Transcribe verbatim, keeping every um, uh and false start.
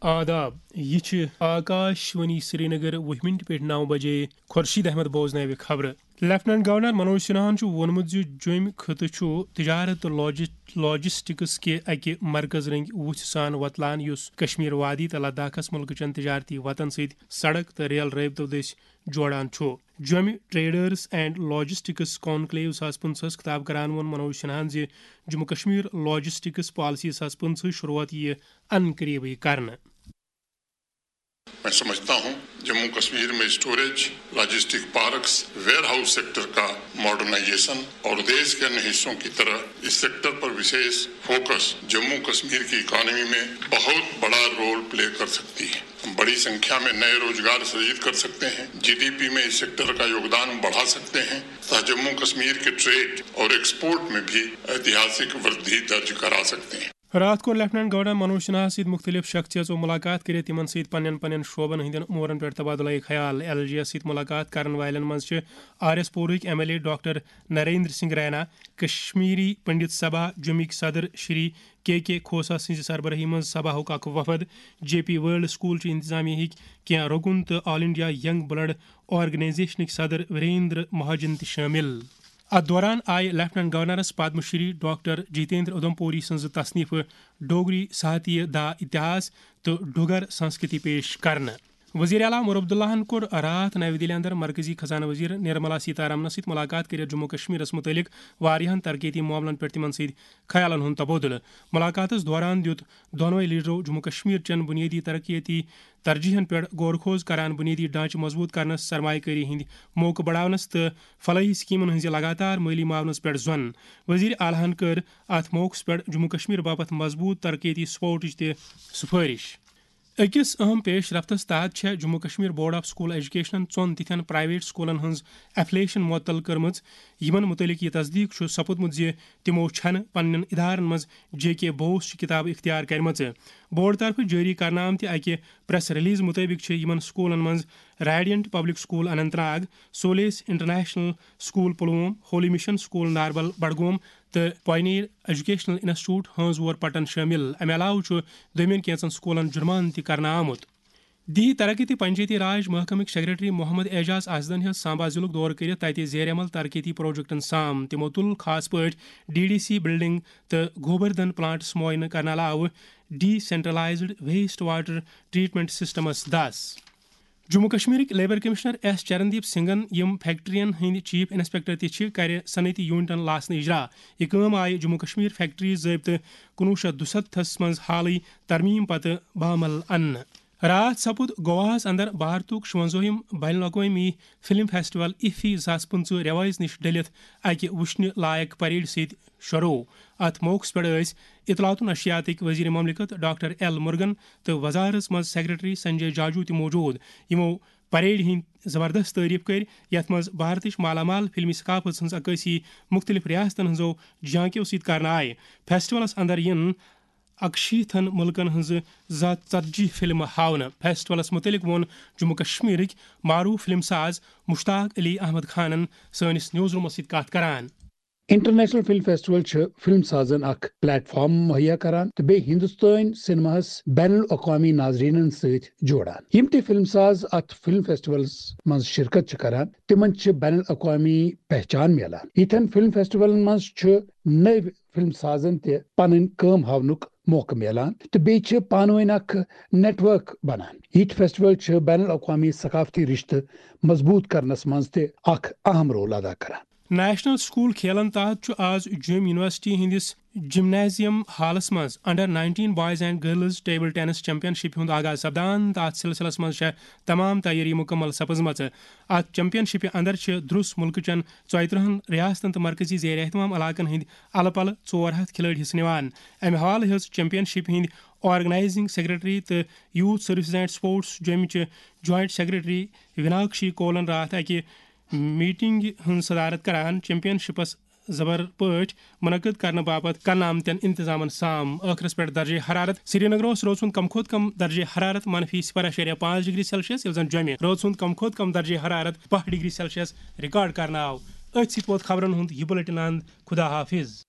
آداب، یہِ چھِ آکاش وانی سرینگر، وُہہِ مِنٹہِ پٮ۪ٹھ نَو بجے۔ خورشید احمد بوزناوِ خبرٕ۔ لیفٹیننٹ گورنر منوج سنہاہن چھُ ووٚنمُت زِ جوٚمۍ خطہٕ چھُ تجارت تہٕ لاجس-، لاجسٹکس کہِ اکہِ مرکز رنگۍ وُژھِ سان وۄتلان، یُس کشمیر وادی تہٕ لداخس مُلکہٕ چٮ۪ن تجارتی وتن سۭتۍ سڑک تہٕ ریل رٲبطو دٔسۍ جوڑان چھُ۔ جوٚمہِ ٹریڈرز اینڈ لاجسٹکس کانکلیو زٕ ساس پٕنٛژٕہس خطاب کران ووٚن منوج سنہاہن زِ جموں کشمیر لاجسٹکس پالیسی زٕ ساس پٕنٛژٕہ شروٗعات یِیہِ ان قریبٕے کرنہٕ۔ میں سمجھتا ہوں، جموں کشمیر میں storage, logistic parks, ware house sector کا ماڈرنائزیشن اور دیش کے انیہ حصوں کی طرح اس سیکٹر پر وشیش فوکس جموں کشمیر کی اکانومی میں بہت بڑا رول پلے کر سکتی ہے۔ ہم بڑی سنکھیا میں نئے روزگار سرجت کر سکتے ہیں۔ جی ڈی پی میں اس سیکٹر کا یوگدان بڑھا سکتے ہیں تتھا جموں کشمیر کے ٹریڈ اور ایکسپورٹ میں بھی ایتہاسک وردھی درج کرا سکتے ہیں۔ راتھ کوٚر لیفٹیننٹ گورنر منوج سنہاہس سۭتۍ مُختٔلِف شخصیژو مُلاقات کٔرِتھ تِمن سۭتۍ پننٮ۪ن پننٮ۪ن شعبن ہٕنٛدٮ۪ن امورن پٮ۪ٹھ تبادلہ خیال۔ ایل جی یس سۭتۍ مُلاقات کرن والٮ۪ن منٛز چھِ آر ایس پوٗرٕکۍ M L A doctor Narendra Singh Raina, Kashmiri Pandit Sabha, جوٚمِکۍ صدر شری کے کے کھوسہ سٕنٛزِ سربرٲہی منٛز سبھاہُک اکھ وفد، جے پی ورلڈ سکول چہِ انتظامیہ ہٕکۍ کینٛہہ رُکُن تہٕ آل انڈیا ینگ بلڈ آرگنائزیشنٕکۍ صدر وریندر مہاجن تہِ شٲمِل۔ اتھ دوران آیہِ لیفٹیننٹ گورنرس پدم شری ڈاکٹر جتیندر ادمپوری سٕنٛزٕ تصنیفہٕ ڈوگری ساہتیہ دا اتہاس تہٕ ڈوگر سنسکرتی پیش کرنہٕ۔ وزیر اعلیٰ عمر عبداللہن کوٚر راتھ نَوِ دِلہِ اندر مرکزی خزانہٕ وزیر نرملا سیتارامنس سۭتۍ مُلاقات کٔرِتھ جموں کشمیرس مُتعلق واریاہن ترقیتی معاملن پٮ۪ٹھ تِمن سۭتۍ خیالن ہُنٛد تبادلہٕ۔ مُلاقاتس دوران دیُت دۄنوَے لیڈرو جموں کشمیر چٮ۪ن بُنیٲدی ترقیتی ترجیحن پٮ۪ٹھ غور خوض کران، بُنیٲدی ڈھانچہٕ مضبوٗط کرنس، سرمایہ کٲری ہٕنٛدۍ موقعہٕ بڑاونس تہٕ فلاحی سکیمن ہٕنٛزِ لگاتار مٲلی معاونس پٮ۪ٹھ زۄن۔ وزیر اعلیٰ ہن کٔر اتھ موقعس پٮ۪ٹھ جموں کشمیر باپتھ مضبوٗط ترقیتی سپورٹٕچ تہِ سفٲرش۔ أکِس اہم پیش رفتس تحت چھےٚ Jammu Kashmir board of school ایجوکیشنن ژۄن تِتھٮ۪ن پرائیویٹ سکولن ہٕنٛز ایفلیشن معطل کٔرمٕژ، یِمن مُتعلق یہِ تصدیق چھُ سپُدمُت زِ تِمو چھَنہٕ پننٮ۪ن ادارن منٛز جے کے بوس چہِ کتابہٕ اختیار کرِمژٕ۔ بورڈ طرفہٕ جٲری کرنہٕ آمتہِ اکہِ پریس ریلیز مُطٲبِق چھِ یِمن سکولن منٛز radiant public school Anant Nag, Solis international school Pulwama, holy mission school Narbal Budgam تہٕ پاینیر ایجوکیشنل انسٹیٹیوٹ ہٲنزور پٹن شٲمِل۔ امہِ علاوٕ چھُ دوٚیمٮ۪ن کینٛژن سکولن جُرمانہٕ تہِ کرنہٕ آمُت۔ دیہی ترقی تہٕ پنچایتی راج محکمٕکۍ سیکرٹری محمد اعجاز آزدن ہیٚژ سامبا ضلعُک دورٕ کٔرِتھ تَتہِ زیر عمل ترقیتی پروجیکٹن سام۔ تِمو تُل خاص پٲٹھۍ ڈی ڈی سی بلڈنگ تہٕ گوبردھن پلانٹس معائنہٕ کرنہٕ علاوٕ decentralised waste water treatment سسٹمس دس۔ جموں کشمیرٕکۍ لیبر کمشنر ایس چرندیپ سنگھن، یِم فیکٹرین ہٕنٛدۍ چیف انسپیکٹر تہِ چھِ، کرِ صنعتی یونٹن لاسنہٕ اجرا۔ یہِ کٲم آیہِ جموں کشمیر فیکٹری ضٲبطہٕ کُنوُہ شیٚتھ دُسَتتھس منٛز حالٕے ترمیم پتہٕ بامل اننہٕ۔ راتھ سپُد گواہس اندر بھارتُک شُونزٲہِم بین الاقوٲمی فلم فیسٹیول ایفی زٕ ساس پٕنٛژٕہ ریوائز نِش ڈٔلِتھ اکہِ وٕچھنہِ لایق پریڈ سۭتۍ شروع۔ اتھ موقعس پٮ۪ٹھ ٲسۍ اطلاعات و نشریاتٕکۍ وزیر مملکت ڈاکٹر ایل مرگن تہٕ وزارتس منٛز سیکرٹری سنجے جاجو تہِ موجود، یِمو پریڈ ہٕنٛدۍ زبردست تعریف کٔرۍ، یتھ منٛز بھارتٕچ مالا مال فلمی ثقافت ہٕنٛز عکٲسی مُختٔلِف ریاستن ہٕنٛزو جھانکیو سۭتۍ کرنہٕ آیہِ۔ فیسٹیولس اندر یِن اکشیٖتھن مُلکن ہٕنٛزٕ زٕ ہتھ ژتجی فلمہٕ ہاونہٕ۔ فیسٹیولس مُتعلق ووٚن جموں کشمیرٕکۍ معروف فلم ساز مشتاق علی احمد خانن سٲنِس نیوز رومس سۭتۍ کتھ کران۔ انٹرنیشنل فلم فیسٹیول چھِ فلم سازن اکھ پلیٹ فارم مہیا کران تہٕ بیٚیہِ ہندوستٲنۍ سینماہس بین الاقوامی ناظرینن سۭتۍ جوڑان۔ یِم تہِ فلم ساز اتھ فلم فیسٹیولس منٛز شرکت چھِ کران، تِمن چھِ بین الاقوامی پہچان میلان۔ یِتھٮ۪ن فلم فیسٹیولن منٛز چھُ نٔوۍ فلم سازن تہِ پنٕنۍ کٲم ہاونُک موقعہٕ میلان تہٕ بیٚیہِ چھِ پانہٕ ؤنۍ اکھ نیٹ ورک بنان۔ یِتھۍ فیسٹیول چھِ بین الاقوامی ثقافتی رشتہٕ مضبوط کرنس منٛز تہِ اکھ اہم رول ادا کران۔ نیشنل سکول کھیلن تحت چھُ آز جوٚم یونیورسٹی ہٕنٛدِس جمنازیم ہالس منٛز under nineteen boys and girls table tennis championship ہُنٛد آغاز سپدان تہٕ اتھ سلسلس منٛز چھےٚ تمام تیٲری مکمل سپٕزمژٕ۔ اتھ چیمپین شپہِ اندر چھِ درُس مُلکہٕ چٮ۪ن ژۄیہِ ترٕہن ریاستن تہٕ مرکزی زیر اہتمام علاقن ہٕنٛدۍ الہٕ پلہٕ ژور ہتھ کھلٲڑۍ حصہٕ نِوان۔ امہِ حوالہٕ ہیٚژ چیمپین شپ ہٕنٛدۍ آرگنائزنگ سیکرٹری تہٕ یوتھ سروسز اینڈ سپورٹس جوٚمہِ چہِ جوائنٹ سیکرٹری ویناکشی کولن راتھ اکہِ میٹنگ ہٕنٛز صدارت کران۔ چیمپین شپس زبر پٲٹھۍ منعقد کرنہٕ باپتھ کرنہٕ آمتٮ۪ن انتظامن سام۔ ٲخرس پٮ۪ٹھ درجہ حرارت۔ سرینگر اوس رٲژ ہُنٛد کم کھۄتہٕ کم درجہ حرارت منفی صفر اعشاریہ پانٛژھ ڈگری سیلسیس، ییٚلہِ زن جوٚمہِ رٲژ ہُنٛد کم کھۄتہٕ کم درجہ حرارت باہ ڈگری سیلسیس ریکارڈ کرنہٕ آو۔ أتھۍ سۭتۍ ووت خبرن ہُنٛد یہِ بلیٹن اند۔ خدا حافظ۔